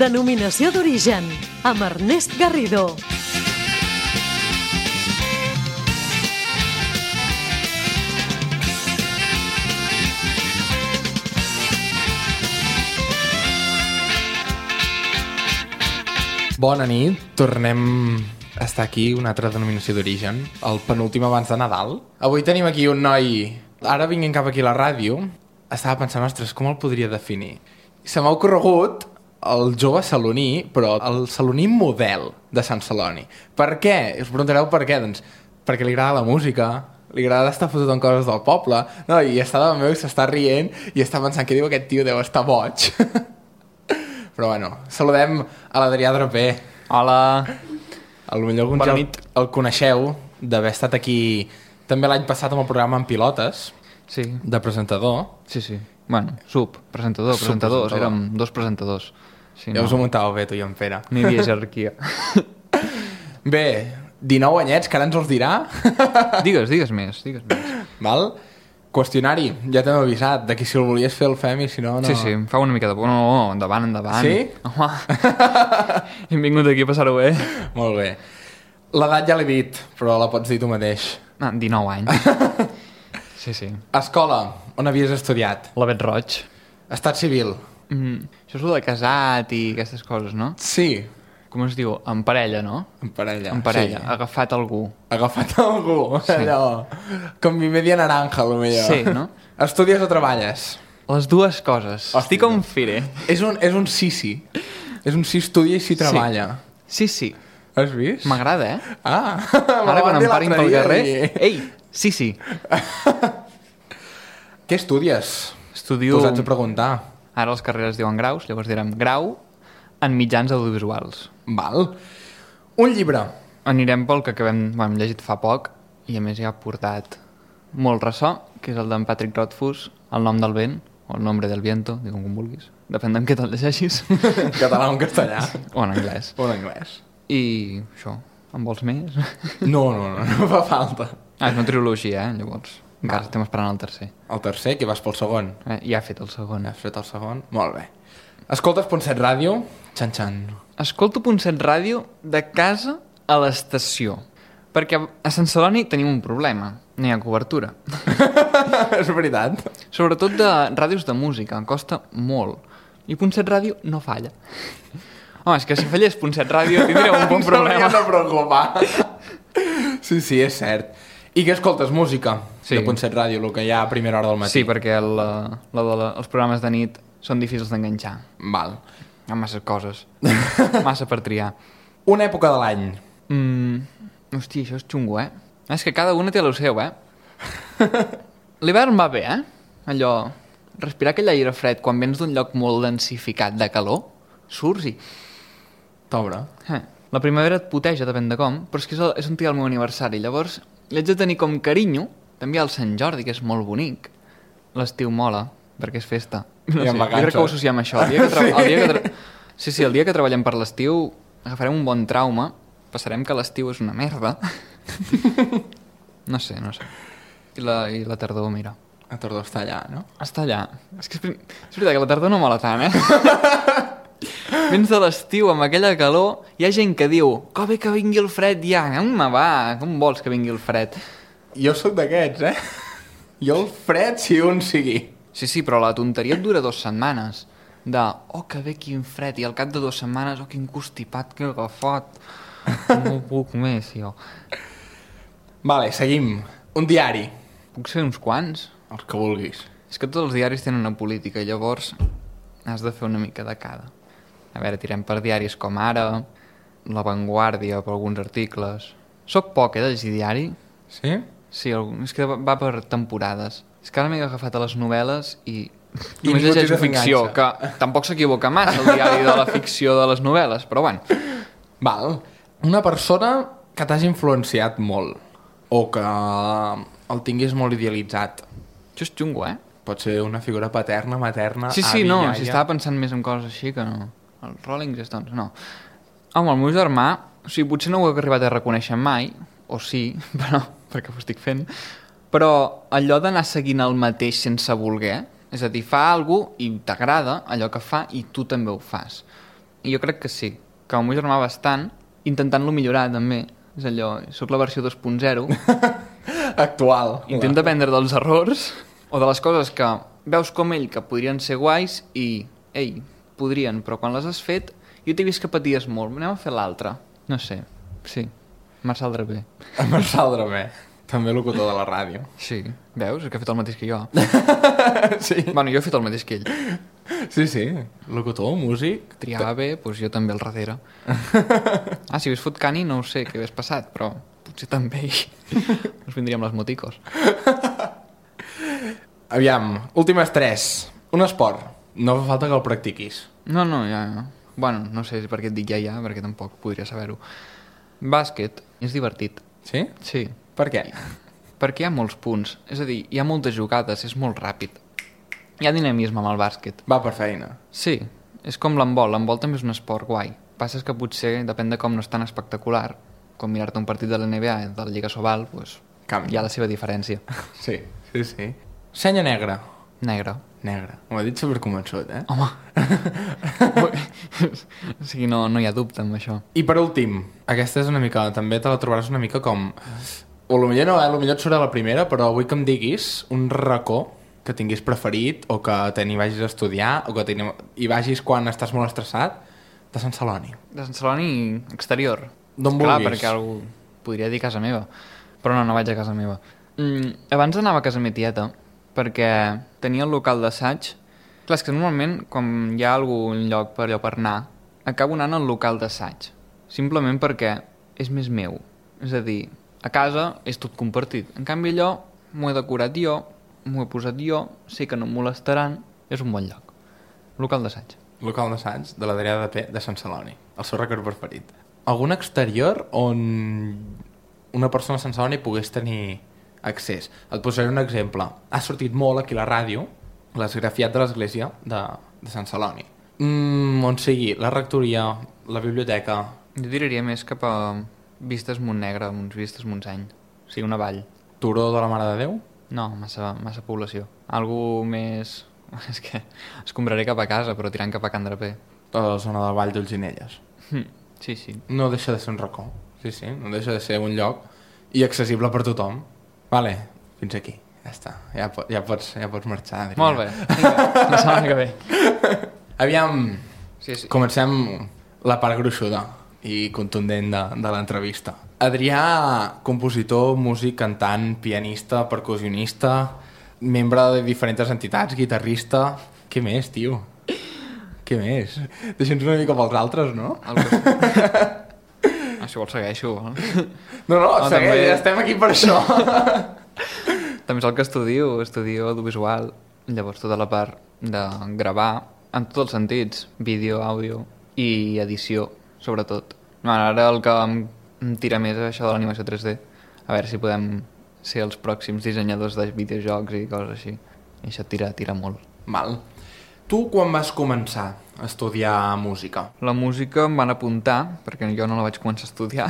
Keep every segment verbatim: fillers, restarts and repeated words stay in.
Denominació d'origen, amb Ernest Garrido. Bona nit, tornem a estar aquí, una altra denominació d'origen, el penúltim abans de Nadal. Avui tenim aquí un noi, ara vinguent cap aquí a la ràdio, estava pensant, ostres, com el podria definir? Se m'ha ocorregut el jove saloní, però el saloní model de Sant Celoni. Per què? Us preguntareu per què? Doncs perquè li agrada la música, li agrada estar fotut en coses del poble, no? I està davant meu i s'està rient i està pensant què diu aquest tio, deu estar boig. Però bueno, saludem a l'Adrià Draper. Hola. A lo millor alguns ja el, el coneixeu d'haver estat aquí també l'any passat amb el programa En Pilotes, Sí. de presentador. Sí, sí. Bueno, sub, presentador, Sub, presentadors, presentador. érem dos presentadors. Sí, Ja us ho muntàveu bé, tu i en Pere. Ni havia jerarquia. Bé, dinou anyets, que ara ens els dirà. Digues, digues més, digues més. Val? Qüestionari, ja t'hem avisat, de que si el volies fer el fem i si no, no... Sí, sí, em fa una mica de por. No, no, endavant, endavant. Sí? Home, hem vingut aquí a passar-ho bé. Molt bé. L'edat ja l'he dit, però la pots dir tu mateix. Ah, dinou anys. Sí, sí. Escola, on havies estudiat? L'Avet Roig. Estat civil? Mm, això és el de casat i aquestes coses, no? Sí. Com es diu? En parella, no? En parella. En parella, Sí. agafat algú. Agafat algú, Sí. allò... Com mi media naranja, lo millor. Sí, no? Estudies o treballes? Les dues coses. Hòstia. Estic on firé. És un, és un sí-sí. És un sí estudia i sí treballa. Sí, sí. Has vist? M'agrada, eh? Ah! Ara quan em parin pel carrer... Ei, sí, sí. Què estudies? Estudio... Posats a preguntar. Ara les carreres diuen graus, llavors direm grau en mitjans audiovisuals. Val. Un llibre. Anirem pel que acabem... Bueno, hem llegit fa poc i a més ja ha portat molt ressò, que és el d'en Patrick Rothfuss, El nom del vent, o El nombre del viento, digue'm com vulguis. Depèn d'en què te'l llegeixis. Català o en castellà. O en anglès. O en anglès. I això, en vols més? No, no, no, no fa falta. Ah, és una trilogia, eh? Llavors, encara estem esperant el tercer. El tercer, que vas pel segon. Eh, ja ha fet el segon. Has fet el segon? Molt bé. Escoltes Punt set Ràdio? Xan, xan. Escolto Punt set Ràdio de casa a l'estació. Perquè a Sant Celoni tenim un problema. No hi ha cobertura. És veritat. Sobretot de ràdios de música. Em costa molt. I Punt set Ràdio no falla. Home, és que si fallés Punt set Ràdio tindríem un bon problema. Ens hauríem de preocupar. Sí, sí, és cert. I què escoltes? Música? Sí. De Punt set Ràdio, el que hi ha a primera hora del matí. Sí, perquè el, la de la, els programes de nit són difícils d'enganxar. Val. Hi ha massa coses. Massa per triar. Una època de l'any. Mm, hòstia, això és xungo, eh? És que cada una té el seu, eh? L'hivern va bé, eh? Allò... Respirar aquell aire fred quan vens d'un lloc molt densificat de calor, surts i... T'obre. Eh, la primavera et puteja, depèn de com, però és que és, el, és un dia del meu aniversari. Llavors, li haig de tenir com carinyo, també al Sant Jordi, que és molt bonic. L'estiu mola, perquè és festa. No I sé, en jo crec que ho associem a això. El dia que tra... el dia que tra... Sí, sí, el dia que treballem per l'estiu agafarem un bon trauma, passarem que l'estiu és una merda. No sé, no sé. I la, i la tardor, mira. La tardor està allà, no? Està allà. És que és, és veritat que la tardor no mola tant, eh? Vens de l'estiu amb aquella calor, hi ha gent que diu que bé que vingui el fred ja. Home, va, com vols que vingui el fred? Jo sóc d'aquests, eh? Jo el fred si un sigui. Sí, sí, però la tonteria et dura dues setmanes. De, oh, que bé, quin fred, i al cap de dues setmanes, oh, quin constipat que he agafat. No puc més, jo. Vale, seguim. Un diari. Puc ser uns quants? Els que vulguis. És que tots els diaris tenen una política, llavors has de fer una mica de cada. A veure, tirem per diaris com Ara, La Vanguardia, per alguns articles. Soc poc, eh, de llegir diari. Sí? Sí, és que va per temporades. És que ara m'he agafat a les novel·les i... I només ningú llegeixo t'hi ficció, que desenganxa. tampoc s'equivoca massa el diari de la ficció de les novel·les, però bueno. Val. Una persona que t'hagi influenciat molt o que el tinguis molt idealitzat. Això és xungo, eh? Pot ser una figura paterna, materna, Sí, sí, avi, no, iaia. si estava pensant més en coses així que no. Els Rolling Stones, no. Home, el meu germà, o sigui, potser no ho he arribat a reconèixer mai, o sí, però, perquè ho estic fent, però allò d'anar seguint el mateix sense voler, és a dir, fa alguna cosa i t'agrada allò que fa i tu també ho fas. i jo crec que sí, que el meu germà bastant, intentant-lo millorar també, és allò, soc la versió dos punt zero, Actual. intenta aprendre dels errors o de les coses que veus com ell que podrien ser guais i, ei, podrien, però quan les has fet jo t'he vist que paties molt, anem a fer l'altre. No sé, sí, Marçal Draper. Marçal Draper, també locutor de la ràdio. Sí, veus? És que ha fet el mateix que jo. Sí. Bueno, jo he fet el mateix que ell. Sí, sí, locutor, músic. Triava bé, doncs jo també al darrere. Ah, si hagués fot cani no ho sé què hagués passat, però potser també ens vindríem les moticos. Aviam, últimes tres. Un esport. No fa falta que el practiquis. No, no, ja, ja. Bueno, no sé per què et dic ja, ja, perquè tampoc podria saber-ho. Bàsquet, és divertit. Sí? Sí. Per què? Perquè hi ha molts punts. És a dir, hi ha moltes jugades, és molt ràpid. Hi ha dinamisme amb el bàsquet. Va per feina. Sí, és com l'handbol. L'handbol també és un esport guai. Passa és que potser, depèn de com no és tan espectacular, com mirar-te un partit de la N B A, de la Lliga Sobal, doncs, hi ha la seva diferència. Sí, sí, sí. Senya negra. Negra. Negra. M'ho ha dit superconvençut, eh? Home! O sigui, no, no hi ha dubte amb això. I per últim, aquesta és una mica... També te la trobaràs una mica com... O potser no, eh? Potser et surt a la primera, però vull que em diguis un racó que tinguis preferit o que te n'hi vagis a estudiar o que te hi vagis quan estàs molt estressat de Sant Celoni. De Sant Celoni exterior. D'on Clar, vulguis. perquè algú podria dir casa meva. Però no, no vaig a casa meva. Mm, abans anava a casa meva tieta perquè tenia el local d'assaig. Clar, és que normalment quan hi ha algun lloc per allò per anar, acabo anant al local d'assaig. Simplement perquè és més meu. És a dir, a casa és tot compartit. En canvi allò m'ho he decorat jo, m'ho he posat jo, sé que no em molestaran, és un bon lloc. Local d'assaig. Local d'assaig de l'Adrià de P de Sant Celoni, el seu record preferit. Algun exterior on una persona de Sant Celoni pogués tenir accés? Et posaré un exemple. Ha sortit molt aquí a la ràdio l'esgrafiat de l'església de, de Sant Celoni. Mm, on sigui la rectoria, la biblioteca... Jo diria més cap a Vistes Montnegre, uns Vistes Montseny. O sigui, una vall. Turó de la Mare de Déu? No, massa, massa població. Algú més... És que escombraré cap a casa, però tirant cap a Can Draper. A la zona del Vall d'Olzinelles. Hm, sí, sí. No deixa de ser un racó. Sí, sí, no deixa de ser un lloc i accessible per tothom. Vale, fins aquí. Ja està. Ja, po ja, pots, ja pots marxar, Adrià. Molt bé. Vinga, la setmana que ve. Aviam, Sí, sí. comencem la part gruixuda i contundent de, de l'entrevista. Adrià, compositor, músic, cantant, pianista, percussionista, membre de diferents entitats, guitarrista... Què més, tio? Què més? Deixa'ns una mica pels altres, no? El que... Ah, si vols segueixo. No, no, Ah, segueix, també- ja estem aquí per això. També és el que estudio, estudio audiovisual, llavors tota la part de gravar, en tots els sentits, vídeo, àudio i edició, sobretot. Bueno, ara el que em, em tira més és això de l'animació tres D, a veure si podem ser els pròxims dissenyadors de videojocs i coses així. I això tira, tira molt. Val. Tu quan vas començar a estudiar música? La música em van apuntar, perquè jo no la vaig començar a estudiar,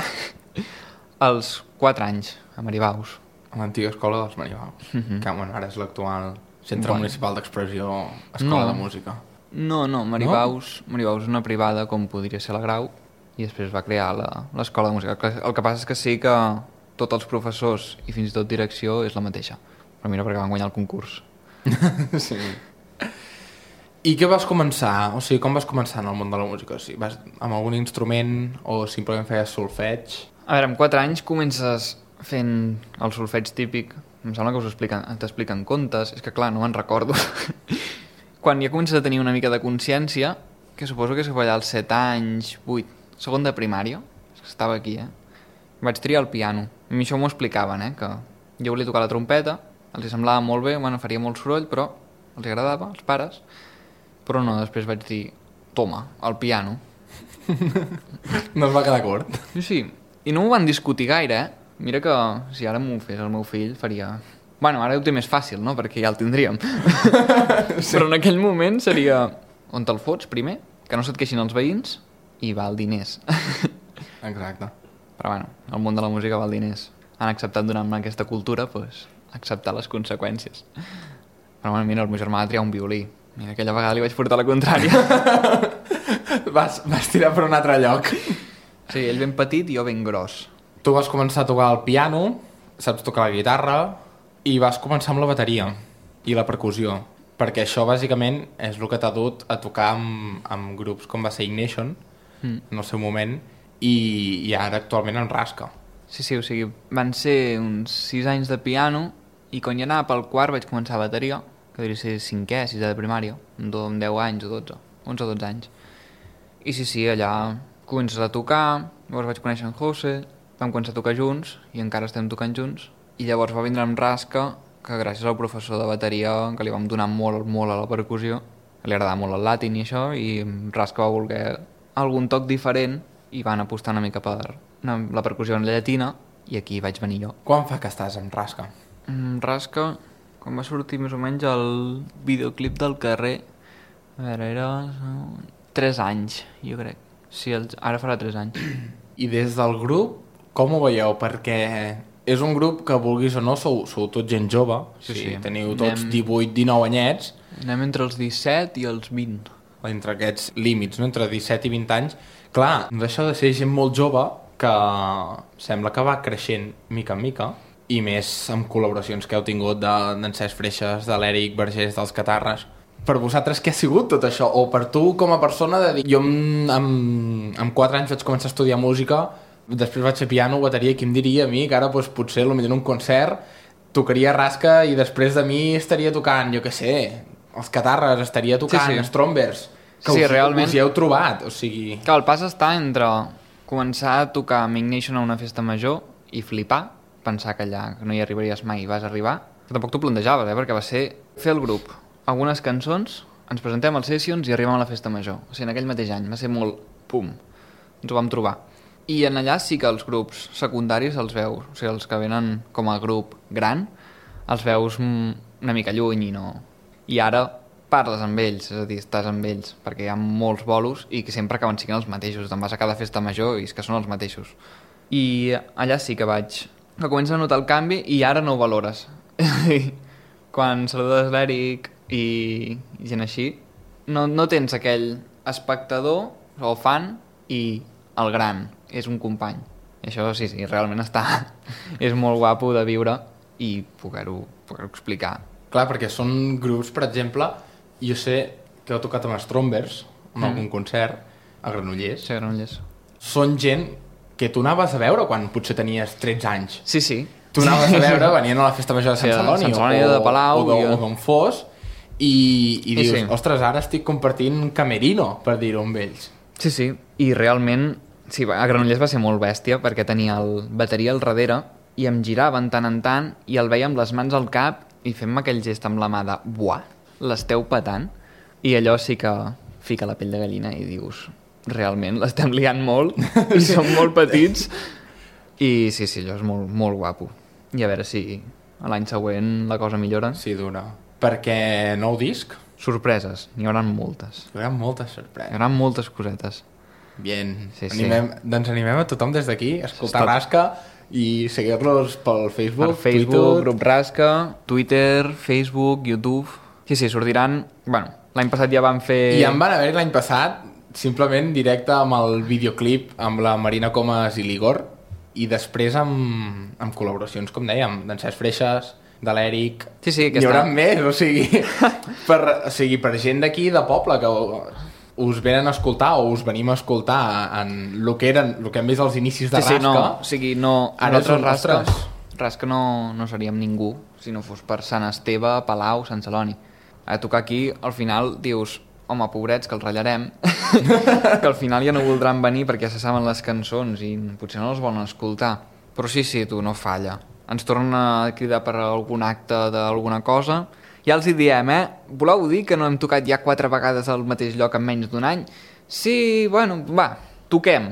als quatre anys, a Maribaus. A l'antiga escola dels Maribaus, Mhm. que bueno, ara és l'actual Centre Bueno. Municipal d'Expressió Escola No. de Música. No, no, Maribaus, no? Maribaus és una privada com podria ser la Grau i després es va crear la- l'escola de música. El que- El que passa és que sí que tots els professors i fins i tot direcció és la mateixa. Però mira, perquè van guanyar el concurs. Sí. I què vas començar? O sigui, com vas començar en el món de la música? O sigui, vas amb algun instrument o simplement feies solfeig? A veure, amb quatre anys comences fent el solfeig típic. Em sembla que us expliquen, t'expliquen contes. És que clar, no me'n recordo. Quan ja comences a tenir una mica de consciència, que suposo que és allà als set anys, vuit, segon de primària, és que estava aquí, eh? Vaig triar el piano. A mi això m'ho explicaven, eh? Que jo volia tocar la trompeta, els hi semblava molt bé, bueno, faria molt soroll, però els agradava, als pares. Però no, després vaig dir, toma, el piano. No es va quedar curt. Sí, sí. I no m'ho van discutir gaire, eh? Mira que si ara m'ho fes el meu fill faria... Bueno, ara ho té més fàcil, no? Perquè ja el tindríem. Sí. Però en aquell moment seria... On te'l fots, primer? Que no se't queixin els veïns i val diners. Exacte. Però bueno, el món de la música val diners. Han acceptat donar-me aquesta cultura, doncs, acceptar les conseqüències. Però bueno, mira, el meu germà va triar un violí. Mira, aquella vegada li vaig portar la contrària. vas, vas tirar per un altre lloc. Sí, ell ben petit i jo ben gros. Tu vas començar a tocar el piano, saps tocar la guitarra, i vas començar amb la bateria i la percussió, perquè això bàsicament és el que t'ha dut a tocar amb, amb grups com va ser Ignition, mm. en el seu moment, i, i ara actualment en Rasca. Sí, sí, o sigui, van ser uns sis anys de piano, i quan ja anava pel quart vaig començar a bateria, que hauria de ser cinquè, sisè de primària, amb deu anys o dotze, onze o dotze anys. I sí, sí, allà comences a tocar, llavors vaig conèixer en José, vam començar a tocar junts, i encara estem tocant junts, i llavors va vindre amb Rasca, que gràcies al professor de bateria, que li vam donar molt, molt a la percussió, li agradava molt el latin i això, i Rasca va voler algun toc diferent, i van apostar una mica per la percussió en llatina, i aquí vaig venir jo. Quan fa que estàs amb Rasca? Mm, Rasca, quan va sortir més o menys el videoclip del carrer, a veure, era tres anys, jo crec. Sí, el... ara farà tres anys. I des del grup, com ho veieu? Perquè és un grup que, vulguis o no, sou, sou tots gent jove, sí, sí, teniu tots anem... divuit dinou anyets. Anem entre els disset i els vint. Entre aquests límits, no? Entre disset i vint anys. Clar, no deixa de ser gent molt jove que sembla que va creixent mica en mica, i més amb col·laboracions que heu tingut d'en Cesc Freixas, de l'Eric Vergés, dels Catarres. Per vosaltres què ha sigut tot això? O per tu com a persona de dir... Jo amb, amb, amb quatre anys vaig començar a estudiar música, després vaig fer piano, bateria, qui em diria a mi que ara doncs, potser potser en un concert tocaria Rasca i després de mi estaria tocant, jo què sé, els Catarres, estaria tocant sí, sí. Strombers, que sí, us, realment... us hi heu trobat, o sigui... Que el pas està entre començar a tocar amb Ignition a una festa major i flipar, pensar que allà que no hi arribaries mai i vas arribar, que tampoc t'ho plantejaves, eh? Perquè va ser fer el grup, algunes cançons, ens presentem als Sessions i arribem a la festa major. O sigui, en aquell mateix any va ser molt pum, ens ho vam trobar. I en allà sí que els grups secundaris els veus, o sigui, els que venen com a grup gran, els veus una mica lluny i no... I ara parles amb ells, és a dir, estàs amb ells, perquè hi ha molts bolos i que sempre acaben sent els mateixos, te'n vas a cada festa major i és que són els mateixos. I allà sí que vaig... que comences a notar el canvi i ara no ho valores. Quan saludes l'Eric i, i gent així, no, no tens aquell espectador o fan i el gran, és un company. I això sí, sí, realment està... és molt guapo de viure i poder-ho poder explicar. Clar, perquè són grups, per exemple, jo sé que heu tocat amb Strombers en mm. algun concert a Granollers. Sí, a Granollers. Són gent que tu anaves a veure quan potser tenies tretze anys. Sí, sí. Tu anaves a veure, venien a la festa major de Sant sí, Celoni, Sant Celoni o, de Palau, o, o d'on fos, i, i dius, sí. ostres, ara estic compartint camerino, per dir-ho amb ells. Sí, sí, i realment, sí, a Granollers va ser molt bèstia, perquè tenia el bateria al darrere, i em giraven tant en tant, i el veia amb les mans al cap, i fem-me aquell gest amb la mà de, buah, l'esteu petant, i allò sí que fica la pell de gallina, i dius... realment l'estem liant molt i som molt petits i sí, sí, allò és molt, molt guapo i a veure si l'any següent la cosa millora. Sí, dura. Perquè nou disc? Sorpreses, n'hi haurà moltes. Hi haurà moltes sorpreses. Hi haurà moltes cosetes. Bien, sí, animem, sí. Doncs animem a tothom des d'aquí a escoltar Estat... Rasca i seguir-los pel Facebook, per Facebook, Twitter... grup Rasca, Twitter, Facebook, YouTube... Sí, sí, sortiran... Bueno, l'any passat ja van fer... I en van haver l'any passat simplement directe amb el videoclip amb la Marina Comas i l'Igor i després amb, amb col·laboracions, com dèiem, d'en Cesc Freixas, de l'Eric... Sí, sí, N'hi haurà més, o sigui, per, o sigui, per gent d'aquí de poble que us venen a escoltar o us venim a escoltar en el que, eren, el que hem vist als inicis de sí, Rasca... Sí, no, o sigui, no... Ara són Rasca, Rasca no, no seríem ningú si no fos per Sant Esteve, Palau, Sant Celoni. A tocar aquí, al final, dius... home, pobrets, que els ratllarem, que al final ja no voldran venir perquè ja se saben les cançons i potser no els volen escoltar. Però sí, sí, tu, no falla. Ens tornen a cridar per algun acte d'alguna cosa. Ja els hi diem, eh? Voleu dir que no hem tocat ja quatre vegades al mateix lloc en menys d'un any? Sí, bueno, va, toquem.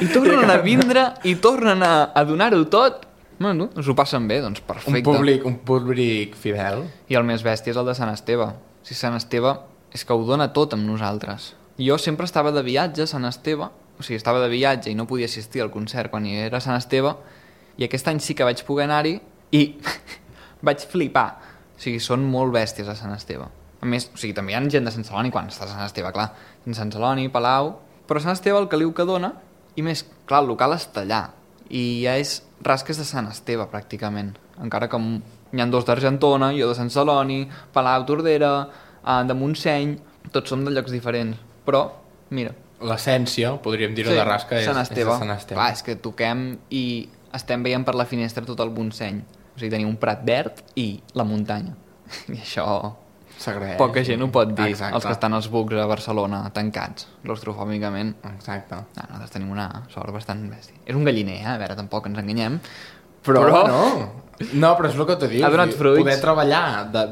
I tornen a vindre i tornen a, a donar-ho tot. Bueno, us ho passen bé, doncs perfecte. Un públic, un públic fidel. I el més bèstia és el de Sant Esteve. Si Sant Esteve... és que ho dona tot amb nosaltres. Jo sempre estava de viatge a Sant Esteve, o sigui, estava de viatge i no podia assistir al concert quan hi era a Sant Esteve, i aquest any sí que vaig poder anar-hi i vaig flipar. O sigui, són molt bèsties a Sant Esteve. A més, o sigui, també hi ha gent de Sant Celoni quan estàs a Sant Esteve, clar. Sant Celoni, Palau... Però Sant Esteve el caliu que dona, i més, clar, el local està allà. I ja és rasques de Sant Esteve, pràcticament. Encara que n'hi ha dos d'Argentona, jo de Sant Celoni, Palau, Tordera, eh, de Montseny... Tots som de llocs diferents. Però, mira... L'essència, podríem dir-ho, sí, de rasca, és, Sant és de Sant Esteve. Clar, és que toquem i estem veient per la finestra tot el Montseny. O sigui, tenim un prat verd i la muntanya. I això... S'agraeix. Poca gent ho pot dir, Exacte. els que estan als bucs a Barcelona, tancats, claustrofòbicament. Exacte. No, nosaltres tenim una sort bastant bèstia. És un galliner, eh? A veure, tampoc ens enganyem. Però... però no. No, però és el que t'ho dius. Ha donat fruits. Poder treballar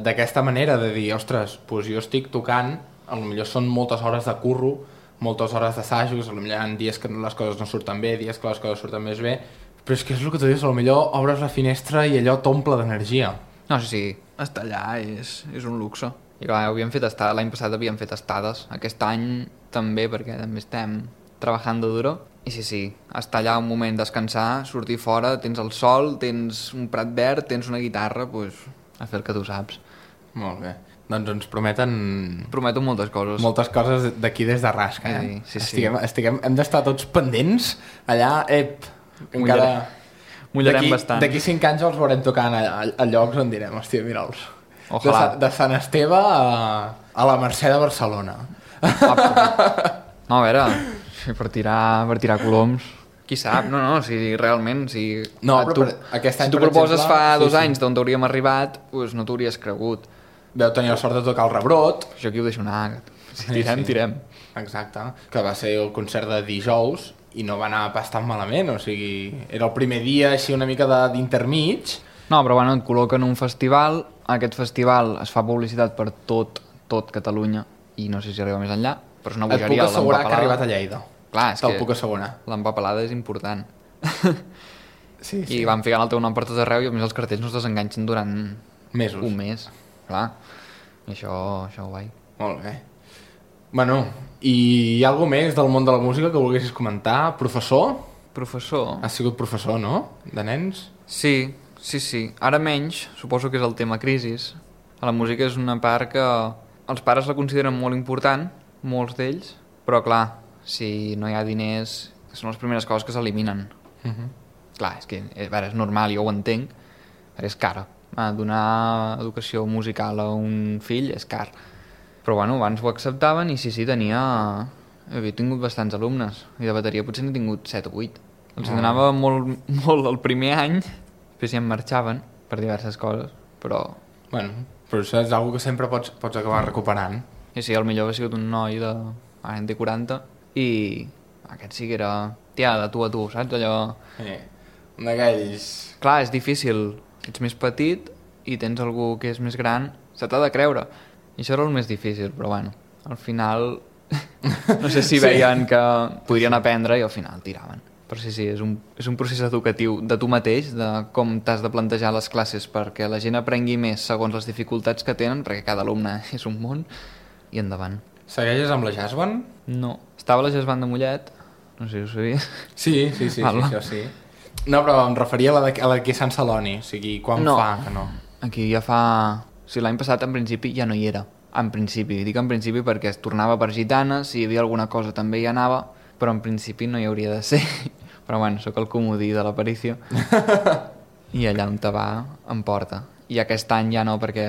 d'aquesta manera, de dir, ostres, doncs jo estic tocant, potser són moltes hores de curro, moltes hores d'assajos, potser hi ha dies que les coses no surten bé, dies que les coses surten més bé, però és que és el que t'ho dius, potser obres la finestra i allò t'omple d'energia. No, sí, sí, estar allà és, és un luxe. I clar, havíem fet estades, l'any passat havíem fet estades, aquest any també, perquè també estem treballant duro. I sí, sí, estar allà un moment, descansar, sortir fora, tens el sol, tens un prat verd, tens una guitarra, doncs a fer el que tu saps. Molt bé. Doncs ens prometen... Prometo moltes coses. Moltes coses d'aquí des de Rasca, eh? Sí, sí, sí. Estiguem, estiguem, hem d'estar tots pendents allà, ep, encara... Mullarem bastant. D'aquí cinc anys els veurem tocant a, a, a llocs on direm, hòstia, mira'ls. De, Ojalà. de Sant Esteve a, a la Mercè de Barcelona. Ah, no, a veure, per tirar, per tirar coloms, qui sap, no, no, si realment, si, No, ah, però tu, per- aquest any, si tu per proposes exemple, fa sí, dos sí. anys d'on hauríem arribat, doncs no t'hauries cregut. Veu tenir la sort de tocar el Rebrot. Jo aquí ho deixo anar, si Sí, tirem, sí. tirem. Exacte, que va ser el concert de dijous i no va anar pas tan malament, o sigui, era el primer dia així una mica de- d'intermig. No, però bueno, et col·loquen un festival, aquest festival es fa publicitat per tot, tot Catalunya, i no sé si arriba més enllà, però és una Et puc bogeria assegurar que ha arribat l'empapelada. a Lleida. Clar, és Te'l que puc assegurar. l'empapelada és important. Sí, I van ficant el teu nom per tot arreu i a més els cartells no es desenganxen durant Mesos. un mes. Clar, i això, això guai. Molt bé. Bueno, i hi ha alguna més del món de la música que volguessis comentar? Professor? Professor? Has sigut professor, no? De nens? Sí, sí, sí. Ara menys, suposo que és el tema crisis. A la música és una part que els pares la consideren molt important, molts d'ells, però clar, si no hi ha diners, són les primeres coses que s'eliminen. Uh -huh. Clar, és que a veure, és normal, jo ho entenc, però és cara. Ah, donar educació musical a un fill és car. Però bueno, abans ho acceptaven i sí, sí, tenia... Havia tingut bastants alumnes, i de bateria potser n'he tingut set o vuit. Els Ah. donava molt, molt el primer any, després ja em marxaven per diverses coses, però... Bueno, però això és una que sempre pots, pots acabar recuperant. I sí, el millor ha sigut un noi de... Ara en té quaranta, i aquest sí que era... Tia, de tu a tu, saps? Allò... Eh, un d'aquells... Clar, és difícil. Ets més petit i tens algú que és més gran, se t'ha de creure. I això era el més difícil, però bueno, al final... no sé si Sí. veien que podrien aprendre i al final tiraven. Però sí, sí, és un, és un procés educatiu de tu mateix, de com t'has de plantejar les classes perquè la gent aprengui més segons les dificultats que tenen, perquè cada alumne és un món, i endavant. Segueixes amb la jazz band? No. Estava a la jazz band de Mollet, no sé si ho sabies. Sí, sí, sí, Val. sí, això sí. No, però em referia a la d'aquí- a la d'aquí a Sant Celoni, o sigui, quan No. fa que no? Aquí ja fa... O sigui, l'any passat, en principi, ja no hi era. En principi. Dic en principi perquè es tornava per gitanes, si hi havia alguna cosa també hi anava, però en principi no hi hauria de ser. Però bueno, sóc el comodí de l'aparició. I allà on te va, em porta. I aquest any ja no, perquè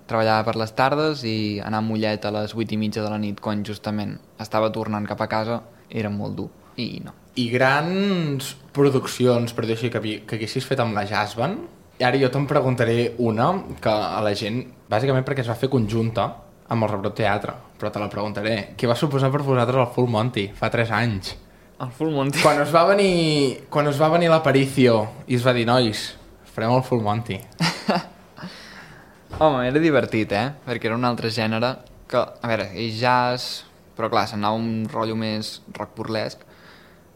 treballava per les tardes i anar a Mollet a les vuit i mitja de la nit, quan justament estava tornant cap a casa, era molt dur. I no. I grans produccions, per dir així, que, havi- que haguessis fet amb la jazz band. I ara jo te'n preguntaré una que a la gent, bàsicament perquè es va fer conjunta amb el Rebrot Teatre, però te la preguntaré. Què va suposar per vosaltres el Full Monty fa tres anys? El Full Monty. Quan us va venir, quan us va venir l'Aparicio i es va dir, nois, farem el Full Monty. Home, era divertit, eh? Perquè era un altre gènere que, a veure, és jazz, però clar, s'anava un rotllo més rock burlesc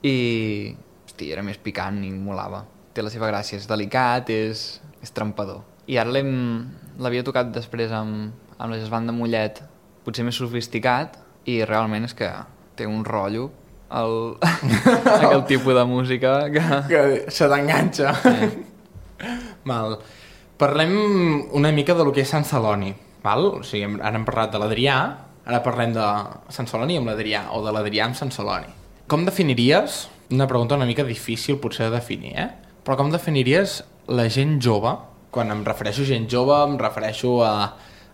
i, hosti, era més picant i molava. Té la seva gràcia, és delicat, és, és trempador. I ara l'hem- l'havia tocat després amb, amb la jazz band de Mollet, potser més sofisticat, i realment és que té un rotllo el, aquell tipus de música que... Que se t'enganxa. Sí. Mal. Parlem una mica de lo que és Sant Celoni, val? O sigui, ara hem parlat de l'Adrià, ara parlem de Sant Celoni amb l'Adrià, o de l'Adrià amb Sant Celoni. Com definiries, una pregunta una mica difícil potser de definir, eh? Però com definiries la gent jove? Quan em refereixo a gent jove, em refereixo a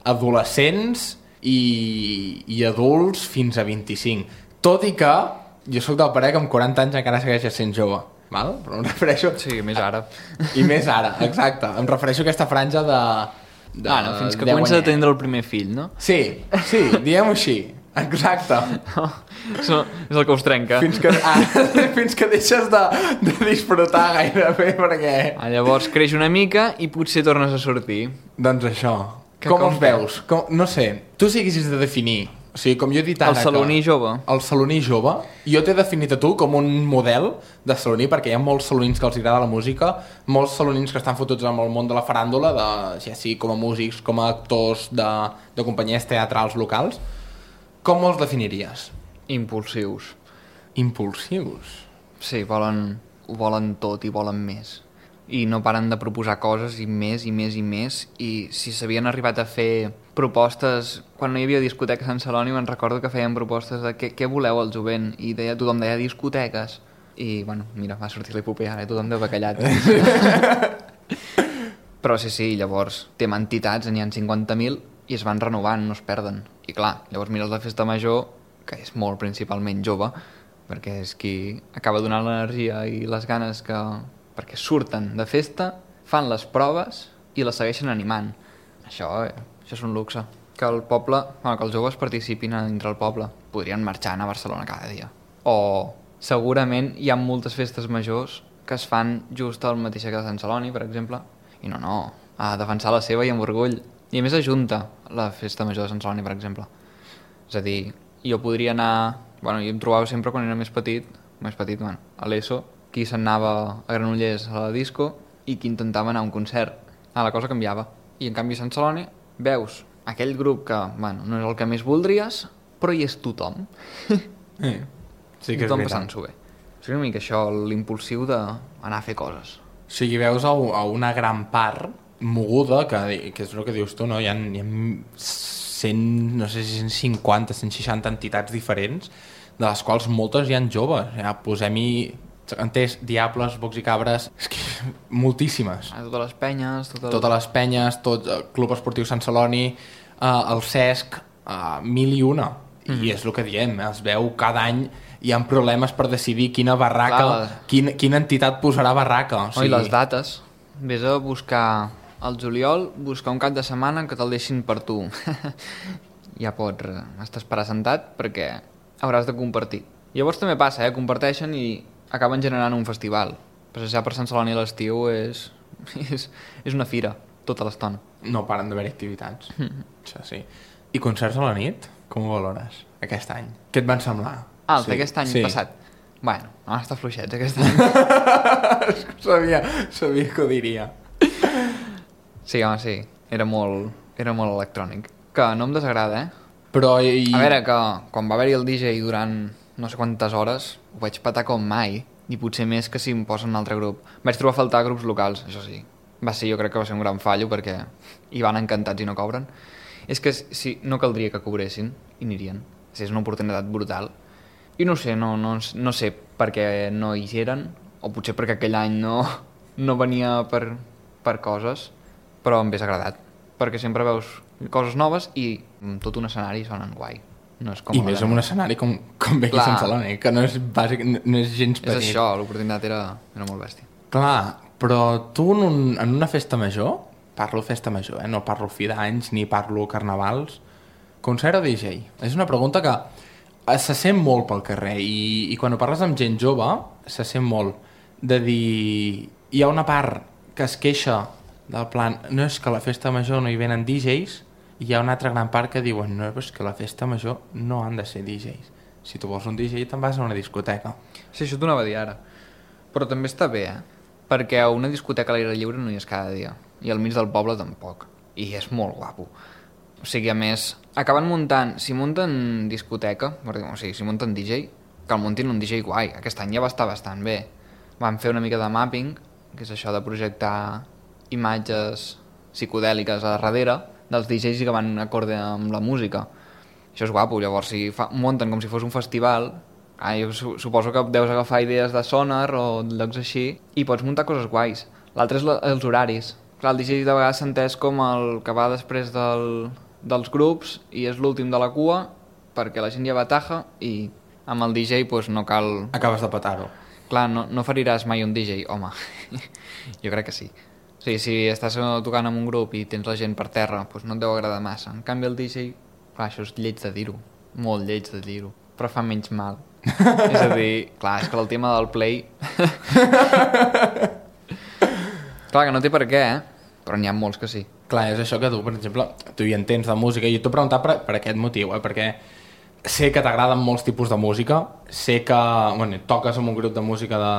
adolescents i, i adults fins a vint-i-cinc. Tot i que jo sóc del parer que amb quaranta anys encara segueixes sent jove, val? Però em refereixo... Sí, més ara. I més ara, exacte. Em refereixo a aquesta franja de... de ah, no, fins que comença a tindre el primer fill, no? Sí, sí, diguem-ho així. Exacte. No, això és el que us trenca. Fins que, ah, fins que deixes de, de disfrutar gairebé, perquè... Ah, llavors creix una mica i potser tornes a sortir. Doncs això. Que com com els veus? Com, no sé, tu si haguessis de definir... O sigui, com jo he dit ara... El saloní que, jove. El saloní jove. Jo t'he definit a tu com un model de saloní, perquè hi ha molts salonins que els agrada la música, molts salonins que estan fotuts amb el món de la faràndula, de, ja sigui com a músics, com a actors de, de companyies teatrals locals. Com els definiries? Impulsius. Impulsius? Sí, volen, ho volen tot i volen més. I no paren de proposar coses i més i més i més. I si s'havien arribat a fer propostes... Quan no hi havia discoteques a Sant Celoni me'n recordo que feien propostes de què, què voleu al jovent, i deia, tothom deia discoteques. I, bueno, mira, va sortir l'epopea ara, tothom deu bacallat. Però sí, sí, llavors té entitats, n'hi ha cinquanta mil i es van renovant, no es perden. I clar, llavors mires la festa major, que és molt principalment jove, perquè és qui acaba donant l'energia i les ganes que... perquè surten de festa, fan les proves i les segueixen animant. Això, eh, això és un luxe. Que el poble, bueno, que els joves participin dintre el poble. Podrien marxar a Barcelona cada dia. O segurament hi ha moltes festes majors que es fan just al mateix que a Sant Celoni, per exemple. I no, no, a defensar la seva i amb orgull. I a més ajunta la festa major de Sant Celoni, per exemple. És a dir, jo podria anar... Bueno, jo em trobava sempre quan era més petit, més petit, bueno, a l'ESO, qui se'n anava a Granollers a la disco i qui intentava anar a un concert. Ah, la cosa canviava. I en canvi a Sant Celoni veus aquell grup que, bueno, no és el que més voldries, però hi és tothom. Sí, sí que és tothom veritat. passant-s'ho bé. És una mica això, l'impulsiu d'anar a fer coses. O sigui, veus a, a una gran part moguda, que, que és el que dius tu, no? Hi ha, hi ha cent, no sé si cent cinquanta, cent seixanta entitats diferents, de les quals moltes hi ha joves. Ja, posem-hi... entès, Diables, Bocs i Cabres, és que moltíssimes. A totes les penyes, totes, totes les penyes, tot el Club Esportiu Sant Celoni, eh, el Cesc, eh, mil i una. Mm. I és el que diem, es veu cada any hi ha problemes per decidir quina barraca, Clar, quin, quina entitat posarà barraca. O sigui... Oh, i les dates. Ves a buscar al juliol, buscar un cap de setmana que te'l deixin per tu. Ja pots estar esperar sentat perquè hauràs de compartir. Llavors també passa, eh? Comparteixen i acaben generant un festival. Passejar per Sant Celoni a l'estiu és, és, és una fira, tota l'estona. No paren d'haver-hi activitats. Mm. Això sí. I concerts a la nit? Com ho valores aquest any? Què et van semblar? Ah, el sí. d'aquest any sí. passat? Bueno, van estar fluixets aquest any. sabia, sabia que ho diria. Sí, home, sí. Era molt, era molt electrònic. Que no em desagrada, eh? Però... I... A veure, que quan va haver-hi el D J durant no sé quantes hores, ho vaig patar com mai, i potser més que si em posen un altre grup. Vaig trobar a faltar grups locals, això sí. Va ser, jo crec que va ser un gran fallo, perquè hi van encantats i no cobren. És que si, no caldria que cobressin, i anirien. Sí, és una oportunitat brutal. I no sé, no, no, no sé per què no hi eren, o potser perquè aquell any no, no venia per, per coses, però em hagués agradat, perquè sempre veus coses noves i tot un escenari sonen guai. No és com I més en un escenari com, com ve aquí a Sant Celoni, que no és, bàsic, no és gens petit. És això, l'oportunitat era, era molt bèstia. Clar, però tu en, un, en una festa major, parlo festa major, eh? No parlo fi d'anys ni parlo carnavals, concert o D J? És una pregunta que se sent molt pel carrer i, i quan ho parles amb gent jove se sent molt de dir... Hi ha una part que es queixa del plan, no és que a la festa major no hi venen D Js, i hi ha una altra gran part que diuen no, és que la festa major no han de ser D Js. Si tu vols un D J te'n vas a una discoteca. Sí, això t'ho anava a dir ara. Però també està bé, eh? Perquè a una discoteca a l'aire lliure no hi és cada dia. I al mig del poble tampoc. I és molt guapo. O sigui, a més, acaben muntant... Si munten discoteca, o sigui, si munten D J, que el muntin un D J guai. Aquest any ja va estar bastant bé. Van fer una mica de mapping, que és això de projectar imatges psicodèliques a darrere dels D Js i que van acorde amb la música. Això és guapo, llavors si fa, munten com si fos un festival, ah, jo su suposo que deus agafar idees de Sonar o llocs així i pots muntar coses guais. L'altre és la, els horaris. Clar, el D J de vegades s'ha entès com el que va després del, dels grups i és l'últim de la cua perquè la gent ja va taja i amb el D J pues, no cal... Acabes de petar-ho. Clar, no, no feriràs mai un D J, home. Jo crec que sí. O sigui, si estàs tocant amb un grup i tens la gent per terra, doncs no et deu agradar massa. En canvi el D J, clar, això és lleig de dir-ho. Molt lleig de dir-ho. Però fa menys mal. És a dir, clar, és que el tema del play... clar, que no té per què, eh? Però n'hi ha molts que sí. Clar, és això que tu, per exemple, tu hi entens de música i t'ho he preguntat per, per aquest motiu, eh? Perquè sé que t'agraden molts tipus de música, sé que, bueno, toques amb un grup de música de...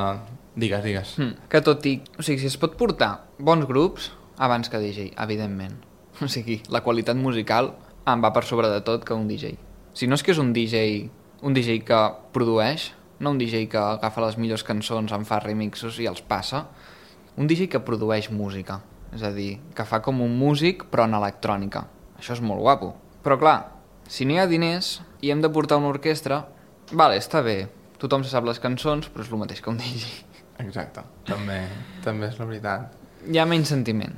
Digues, digues. Mm, que tot i... O sigui, si es pot portar bons grups abans que D J, evidentment. O sigui, la qualitat musical em va per sobre de tot que un D J. Si no és que és un D J, un D J que produeix, no un D J que agafa les millors cançons, en fa remixos i els passa, un D J que produeix música. És a dir, que fa com un músic però en electrònica. Això és molt guapo. Però clar, si no hi ha diners i hem de portar una orquestra, vale, està bé, tothom se sap les cançons, però és el mateix que un D J. Exacte, també, també és la veritat. Hi ha menys sentiment.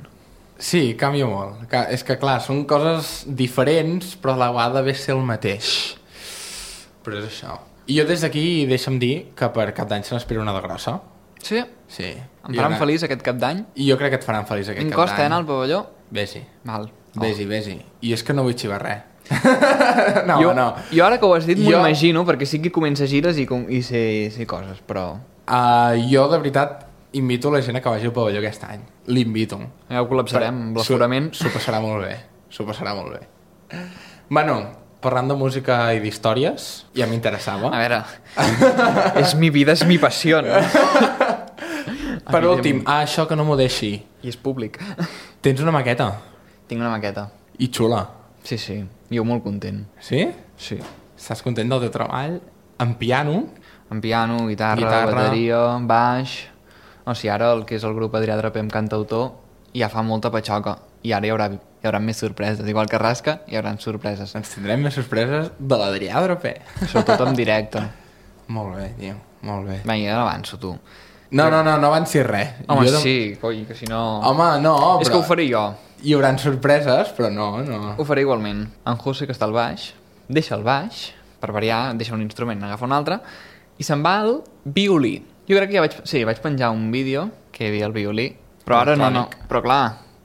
Sí, canvia molt. És que, clar, són coses diferents, però a la vegada ve ser el mateix. Però és això. I jo des d'aquí deixa'm dir que per cap d'any se n'espera una de grossa. Sí? Sí. Em faran feliç aquest cap d'any? I jo crec que et faran feliç aquest cap d'any. En costa, eh, anar al pavelló? Vés-hi. Val. Vés-hi, vés-hi. I és que no vull xivar res. no, jo, no. Jo ara que ho has dit m'ho jo... imagino, perquè sí que comença gires i, com, i sé, sé coses, però... Uh, jo, de veritat, invito la gent a que vagi al pavelló aquest any. L'invito. Ja ho col·lapsarem amb l'aforament. S'ho passarà molt bé. S'ho passarà molt bé. Bueno, parlant de música i d'històries, ja m'interessava. A veure, és mi vida, és mi passió. Per últim, ah, això que no m'ho deixi. I és públic. Tens una maqueta? Tinc una maqueta. I xula. Sí, sí. Jo molt content. Sí? Sí. Estàs content del teu treball? En piano? En piano, guitarra, guitarra, bateria, baix... O sigui, ara el que és el grup Adrià Draper amb cantautor ja fa molta patxoca. I ara hi haurà, hi haurà més sorpreses. Igual que Rasca, hi haurà sorpreses. Ens tindrem més sorpreses de l'Adrià Draper. Sobretot en directe. Molt bé, tio. Molt bé. Vinga, ja l'avanço, tu. No, no, no, no avanci res. Home, jo sí, coi, que si no... Home, no, però... És que ho faré jo. Hi haurà sorpreses, però no, no. Ho faré igualment. En José, que està al baix, deixa el baix, per variar, deixa un instrument, agafa un altre, i se'n va al violí. Jo crec que ja vaig... Sí, vaig penjar un vídeo que hi havia el violí, però ara no, no. Però clar,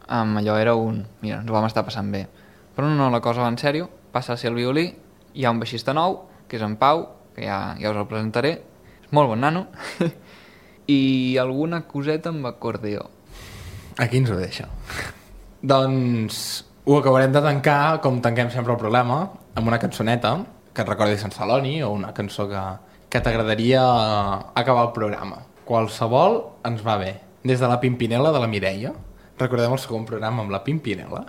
um, allò era un... Mira, ens ho vam estar passant bé. Però no, no, la cosa va en sèrio, passa a ser el violí, hi ha un baixista nou, que és en Pau, que ja, ja us el presentaré, és molt bon nano, i alguna coseta amb acordeó. Aquí ens ho deixa. Doncs ho acabarem de tancar, com tanquem sempre el programa, amb una cançoneta que et recordi Sant Celoni, o una cançó que, que t'agradaria acabar el programa. Qualsevol ens va bé. Des de la Pimpinela de la Mireia, recordem el segon programa amb la Pimpinela,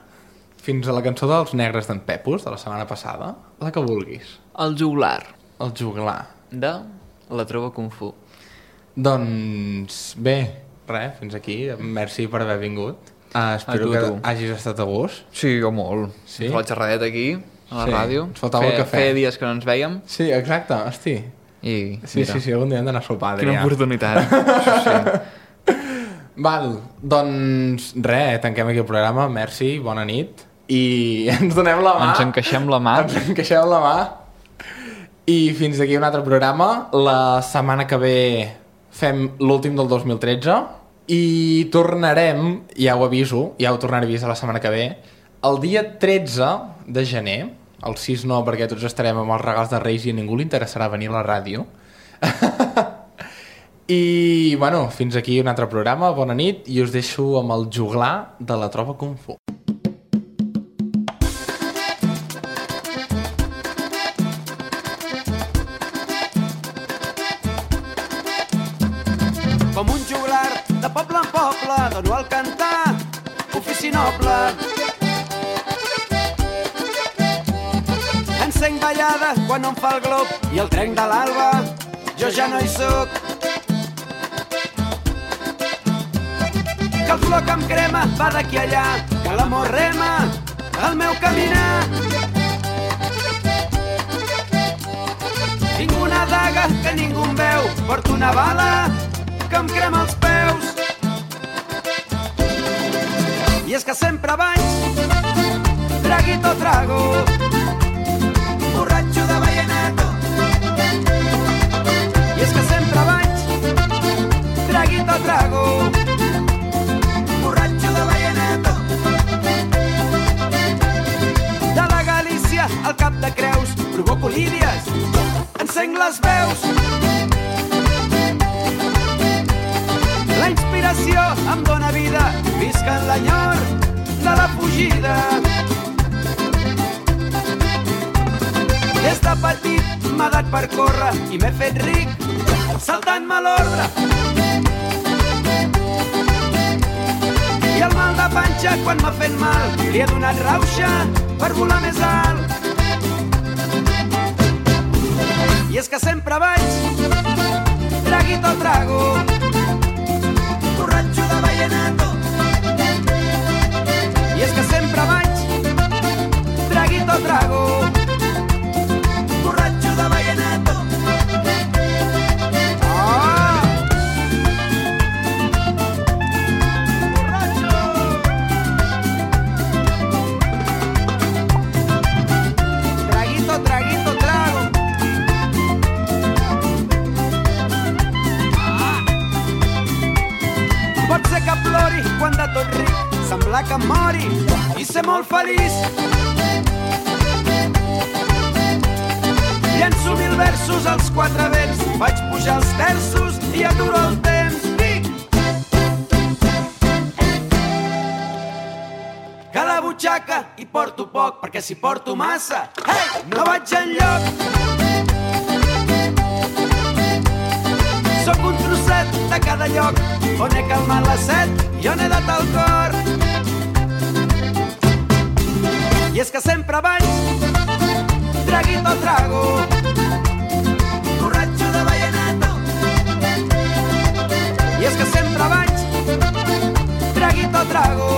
fins a la cançó dels Negres d'en Pepus, de la setmana passada, la que vulguis. El juglar. El juglar. De la Trova Kung Fu. Doncs bé, res, fins aquí. Merci per haver vingut. Uh, espero tu, que tu. hagis estat a gust. Sí, jo molt. Sí? La xerradeta aquí, a la Sí, ràdio. ens faltava el Fe- cafè. Feia dies que no ens vèiem. Sí, exacte, hosti. I, Sí, mira, sí, sí, algun dia hem d'anar a sopar, quina Adrià. oportunitat. Sí, sí. Val, doncs res, tanquem aquí el programa, merci, bona nit. I ens donem la mà. Ens encaixem la mà. Ens encaixem la mà. I fins aquí un altre programa. La setmana que ve fem l'últim del dos mil tretze i tornarem, ja ho aviso, ja ho tornaré a avisar la setmana que ve, el dia tretze de gener, el sis no perquè tots estarem amb els regals de Reis i a ningú li interessarà venir a la ràdio. I, bueno, fins aquí un altre programa, bona nit, i us deixo amb el juglar de la Trova Kung Fu. Com un juglar de poble en poble, dono al cantar, ofici noble. Encenc ballada quan no em fa el glob i el trenc de l'alba, jo ja no hi soc. Que el flor que em crema va d'aquí allà, que l'amor rema el meu caminar. Tinc una daga que ningú em veu, porto una bala que em crema els peus. I és que sempre vaig traguito trago, borratxo de vallenato. I és que sempre vaig traguito trago, borratxo de vallenato. De la Galícia al Cap de Creus provoco lídies, encenc les veus. La inspiració em dóna vida, visc en l'enyor de la fugida. Des de petit m'ha dat per córrer i m'he fet ric saltant-me l'ordre. I el mal de panxa quan m'ha fet mal li he donat rauxa per volar més alt. I és que sempre vaig traguito trago, borratxo de vallenato. I és que sempre vaig traguito trago, borratxo de vallenato. Oh! Borratxo! Traguito, traguito, trago. Pot ser que plori quan de tot ric semblar que em mori i ser molt feliç. Llenço mil versos als quatre vents, vaig pujar els terços i aturo el temps. Vic! Que la butxaca hi porto poc, perquè si porto massa, hey, no vaig enlloc. Sóc un trosset de cada lloc on he calmat la set i on he dat el cor. I és que sempre vaig traguito trago, borratxo de vallenato. I és que sempre vaig traguito trago,